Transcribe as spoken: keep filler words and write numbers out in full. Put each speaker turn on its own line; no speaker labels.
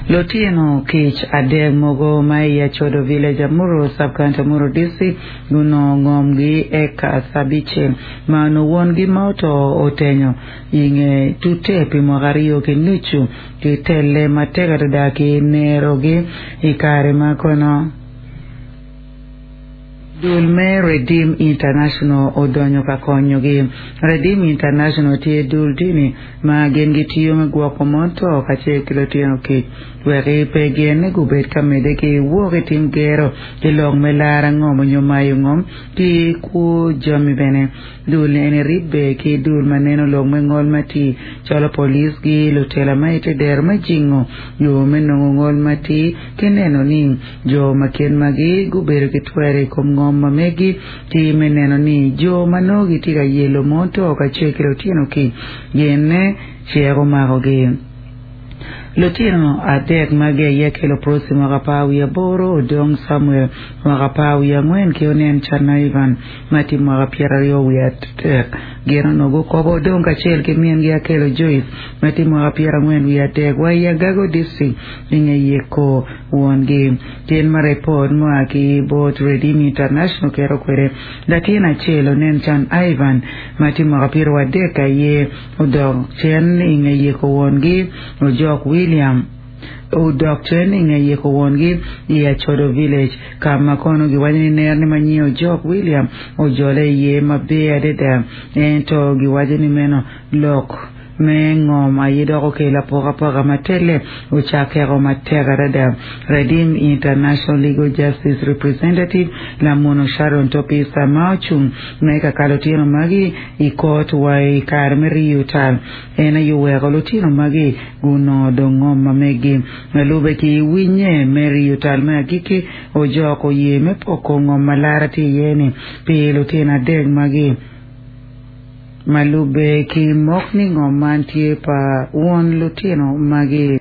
Lutino kic adek mogo ma i Achodo Village, Amuru Sub-County, Amuru District gunongo ngomgi eka abicel ma onongo wongi ma oto otenyo i nge tute pi mwaka aryo ki nucu ki telle matek adada ki nerogi i kare ma kono Dul me Redeem International odonyo ka konyogi. Redeem International tye dul dini ma gin gitiyo me gwoko mon to kacel ki lutino kic wek pe gin gubed ka medde ki wok i tim gero ki lok me lara ngom onyo mayo ngom ki kwo jami bene. Dul eni ribbe ki dul ma neno lok me ngol ma tye calo polis-gi lutela ma ite dero me jingo yo me nongo ngol ma tye ki neno ni jo ma kit magi gubedo ki twero i kom ngom ma megi ki me neno ni jo ma nongo gitye ka yelo mon to kacel ki lutino kic gin cek omakogi. Lutino adek magi aye kelo Prosi mwaka apar wiye aboro, Odong Samuel mwaka apar wiye angwen ki Onen Cana Ivan ma tye mwaka pyeraryo wiye adek. Gin onongo gukobo Odong kacel ki mingi Akelo Joyce ma tye mwaka pyerangwen wiye adek wa i Agago District i nge yeko wongi. Kit ma ripot mua ki bot Redeem International keto kwede, latin acel Onen Can Ivan ma tye mwaka pyeraryo adek aye odok cen i nge yeko wongi Ojok William odok cen i nge yeko wongi i Achodo Village ka ma kono giwaco ni nerni ma nyinge Ojok William ojole iye maber adada ento giwaco ni meno lok me ngom aye dok okelo apokapoka ma telle ocakeko matek adada. Redeem International Legal Justice Representative Lamuno Sharon Topisa ma ocung me ka kalo lutino magi i kot wa i kare me riyo tal en aye oweko lutino magi gunongo dong ngom ma megi ma lube ki winye me riyo tal me agikki Ojok oye me poko ngom ma lara tye iye ni pi lutino adek magi ma lube ki mok ni ngom man tye pa won lutino magi.